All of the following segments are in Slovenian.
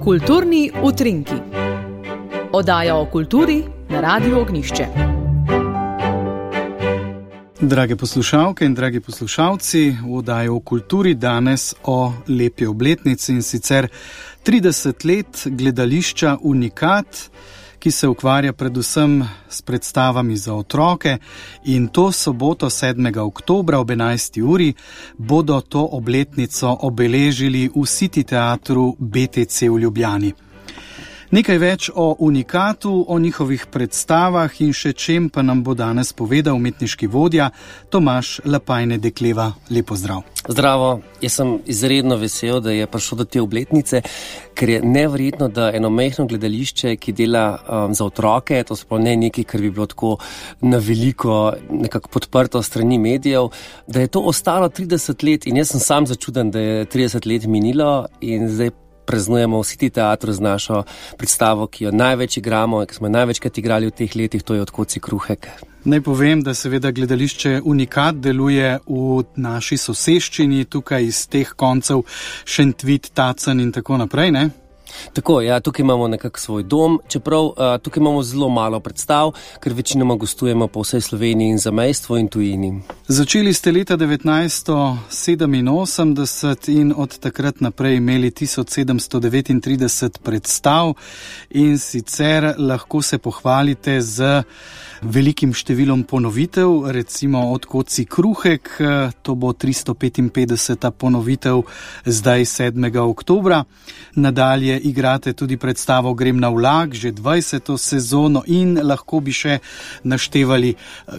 Kulturni utrinki. Oddaja o kulturi na Radiu Ognjišče. Drage poslušalke in dragi poslušalci, v oddaji o kulturi danes o lepi obletnici, in sicer 30 let gledališča Unikat, ki se ukvarja predvsem s predstavami za otroke, in to soboto 7. oktobra ob 11. uri bodo to obletnico obeležili v City teatru BTC v Ljubljani. Nekaj več o Unikatu, o njihovih predstavah in še čem pa nam bo danes povedal umetniški vodja Tomaž Lapajne-Dekleva. Lep pozdrav. Zdravo, jaz sem izredno vesel, da je prišlo do te obletnice, ker je neverjetno, da eno majhno gledališče, ki dela za otroke, to se pa ne nekaj, kar bi bilo tako na veliko nekako podprto strani medijev, da je to ostalo 30 let in jaz sem sam začuden, da je 30 let minilo in zdaj praznujemo v City teatru z našo predstavo, ki jo največ igramo in ki smo največkrat igrali v teh letih, to je Od koci kruhek. Naj povem, da seveda gledališče Unikat deluje v naši soseščini, tukaj iz teh koncev Šentvid, Tacen in tako naprej, ne? Tako, ja, tukaj imamo nekako svoj dom, čeprav tukaj imamo zelo malo predstav, ker večinoma gostujemo po vsej Sloveniji in zamejstvu in tujini. Začeli ste leta 1987 in od takrat naprej imeli 1739 predstav in sicer lahko se pohvalite z velikim številom ponovitev, recimo Od koci kruhek, to bo 355. ponovitev zdaj 7. oktobra. Nadalje igrate tudi predstavo Grem na vlak, že 20. sezono in lahko bi še naštevali.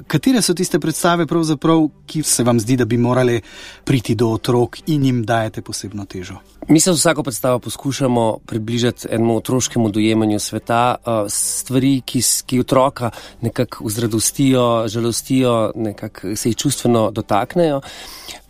Katere so tiste predstave pravzaprav, ki se vam zdi, da bi morali priti do otrok in jim dajete posebno težo? Mi se z vsako predstavo poskušamo približati enemu otroškemu dojemanju sveta, stvari, ki otroka nekako vzradostijo, žalostijo, nekako se jih čustveno dotaknejo.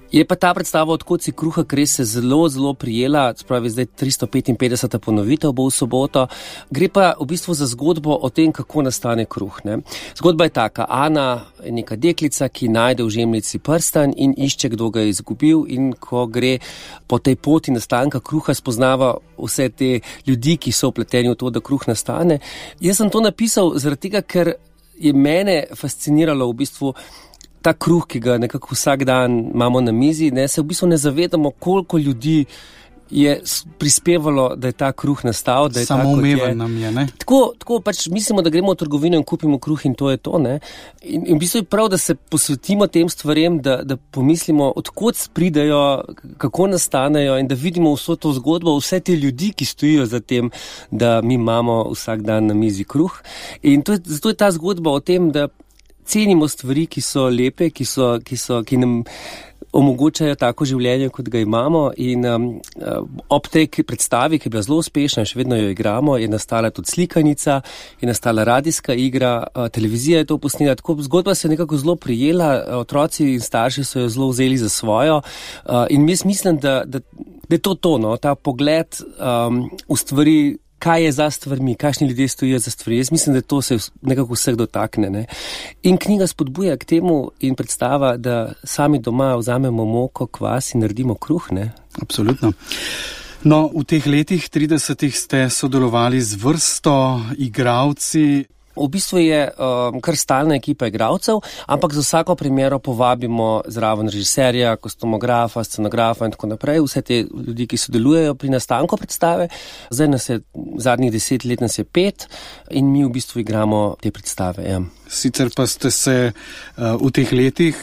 Je pa ta predstava Od koci kruhek res se zelo, zelo prijela, spravi zdaj 355. ponovitev bo v soboto. Gre pa v bistvu za zgodbo o tem, kako nastane kruh, ne. Zgodba je taka, Ana je neka deklica, ki najde v žemljici prstan in išče, kdo ga je izgubil, in ko gre po tej poti nastanka kruha, spoznava vse te ljudi, ki so vpleteni v to, da kruh nastane. Jaz sem to napisal zaradi tega, ker je mene fasciniralo v bistvu ta kruh, ki ga nekako vsak dan imamo na mizi, ne, se v bistvu ne zavedamo, koliko ljudi je prispevalo, da je ta kruh nastal, da je tako, kot je. Samoumeven nam je, ne? Tako pač mislimo, da gremo v trgovino in kupimo kruh in to je to, ne. In v bistvu je prav, da se posvetimo tem stvarem, da pomislimo, odkot pridejo, kako nastanejo in da vidimo vso to zgodbo, vse te ljudi, ki stojijo za tem, da mi imamo vsak dan na mizi kruh. In zato je ta zgodba o tem, da cenimo stvari, ki so lepe, ki nam omogočajo tako življenje, kot ga imamo, in ob tej predstavi, ki je bila zelo uspešna in še vedno jo igramo, je nastala tudi slikanica, je nastala radijska igra, televizija je to posnela, tako zgodba se je nekako zelo prijela, otroci in starši so jo zelo vzeli za svojo, in jaz mislim, da je to, no, ta pogled v stvari, kaj je za stvarmi, kakšni ljudje stojijo za stvari. Jaz mislim, da to se nekako vseh dotakne, ne. In knjiga spodbuja k temu in predstava, da sami doma vzamemo moko, kvas in naredimo kruh, ne. Absolutno. No, v teh letih 30 ste sodelovali z vrsto igralci. V bistvu je kar stalna ekipa igralcev, ampak za vsako premiero povabimo zraven režiserja, kostumografa, scenografa in tako naprej, vse te ljudi, ki sodelujejo pri nastanku predstave. Zdaj zadnjih 10 let nas je 5 in mi v bistvu igramo te predstave, ja. Sicer pa ste se v teh letih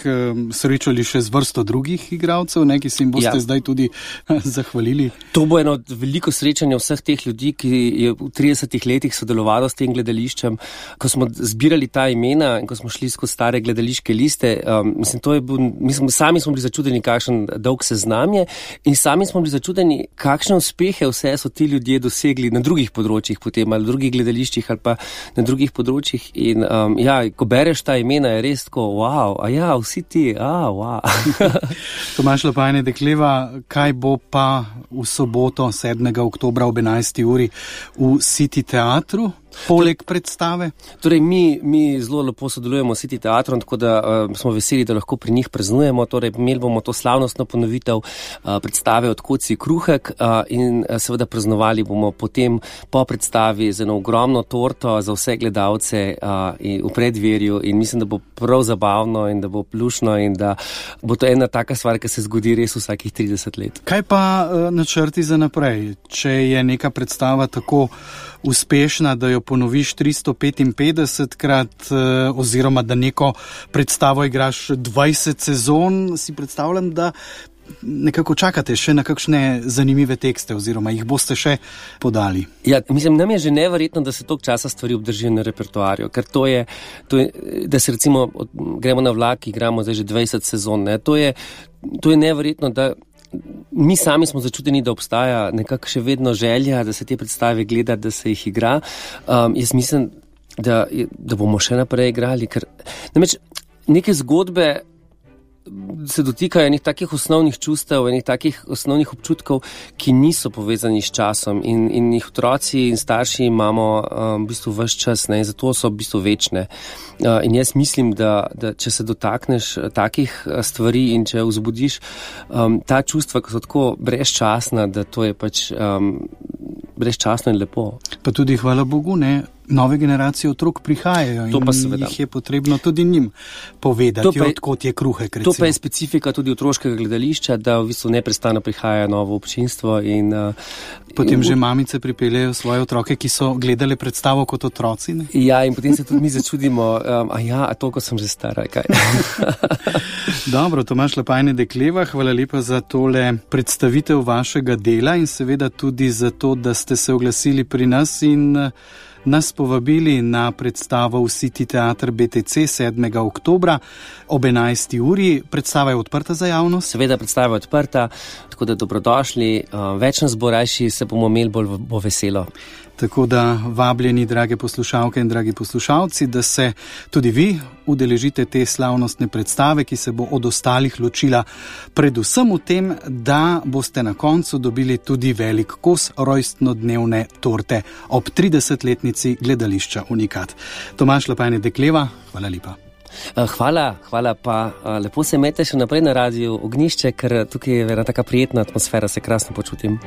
srečali še z vrsto drugih igralcev, ne, ki se jim boste zdaj tudi zahvalili. To bo eno veliko srečanje vseh teh ljudi, ki je v 30 letih sodelovalo s tem gledališčem. Ko smo zbirali ta imena in ko smo šli skozi stare gledališke liste, sami smo bili začudeni, kakšen dolg seznam je, in sami smo bili začudeni, kakšne uspehe vse so ti ljudje dosegli na drugih področjih potem, ali drugih gledališčih ali pa na drugih področjih. In ko bereš ta imena, je res tako, wow, vsi ti, wow. Tomaž Lapajne-Dekleva, kaj bo pa v soboto 7. oktobra ob 11. uri v City teatru? poleg predstave? Torej, mi zelo lepo sodelujemo s City teatrom, tako da smo veseli, da lahko pri njih praznujemo. Torej, imeli bomo to slavnostno ponovitev predstave Odkod si kruhek in seveda praznovali bomo potem po predstavi z eno ogromno torto za vse gledalce v predverju in mislim, da bo prav zabavno in da bo lušno in da bo to ena taka stvar, ki se zgodi res vsakih 30 let. Kaj pa načrti za naprej? Če je neka predstava tako uspešna, da jo ponoviš 355krat oziroma da neko predstavo igraš 20 sezon, si predstavljam, da nekako čakate še na kakšne zanimive tekste oziroma jih boste še podali. Ja, mislim, nam je že neverjetno, da se toliko časa stvari obdržijo na repertoarju, ker to je, da se recimo gremo na vlak, igramo zdaj že 20 sezon, ne? To je neverjetno, da mi sami smo začuteni, da obstaja nekako še vedno želja, da se te predstave gleda, da se jih igra. Jaz mislim, da bomo še naprej igrali, ker namreč neke zgodbe se dotikajo enih takih osnovnih čustev, enih takih osnovnih občutkov, ki niso povezani s časom in jih otroci in starši imamo v bistvu ves čas, ne, in zato so v bistvu večne. In jaz mislim, da če se dotakneš takih stvari in če vzbudiš ta čustva, ki so tako brezčasna, da to je pač brezčasno in lepo. Pa tudi hvala Bogu, ne, nove generacije otrok prihajajo in jih je potrebno tudi njim povedati, odkot je kruhek. To pa je specifika tudi otroškega gledališča, da v bistvu neprestano prihaja novo občinstvo in potem že mamice pripeljejo svoje otroke, ki so gledali predstavo kot otroci, ne? Ja, in potem se tudi mi začudimo, toliko sem že stara, kaj? Dobro, Tomaž Lapajne Dekleva, hvala lepa za tole predstavitev vašega dela in seveda tudi za to, da ste se oglasili pri nas in nas povabili na predstavo v City teatr BTC 7. oktobra ob 11. uri. Predstava je odprta za javnost? Seveda, predstava je odprta, tako da dobrodošli. Več nas bo, rajši se bomo imeli, bolj bo veselo. Tako da vabljeni, drage poslušalke in dragi poslušalci, da se tudi vi udeležite te slavnostne predstave, ki se bo od ostalih ločila predvsem v tem, da boste na koncu dobili tudi velik kos rojstnodnevne torte ob 30-letnici gledališča Unikat. Tomaž Lapajne Dekleva, hvala lepa. Hvala pa. Lepo se imejte še naprej na Radiu Ognjišče, ker tukaj je ena taka prijetna atmosfera, se krasno počutim.